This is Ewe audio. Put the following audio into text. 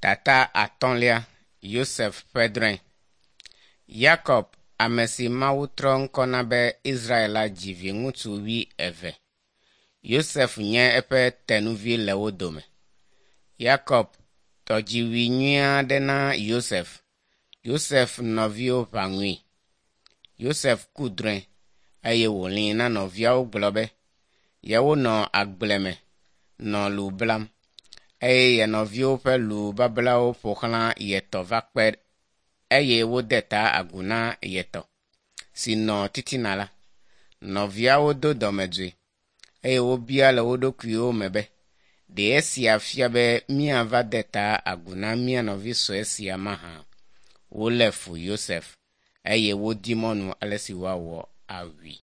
Tata atɔ̃lia Yosef ƒe drɔ̃e. Yakob, ame si Mawu trɔ ŋkɔ na be Israel la dzi viŋutsu wuieve. Yosef nye eƒe tenuvi le wo dome. Yakob tɔ dziwui nyui aɖe na Yosef. Yosef nɔviwo ʋã ŋui. Yosef ku drɔ̃e eye wòlĩi na nɔviawo gblɔ be yewonɔ agble me nɔ lu blam eye ye nɔviwo ƒe lu bablawo ƒo xlã ye tɔ va kpe eye wode ta agu na ye tɔ si nɔ titina la. Nɔviawo do dɔmedzoe eye wobia le wo ɖokuiwo me be, ɖe esia fia be míava de ta agu na mía nɔvi sue sia mahã? Wolé fu Yosef eye wodi mɔnu ale si woawɔ awui.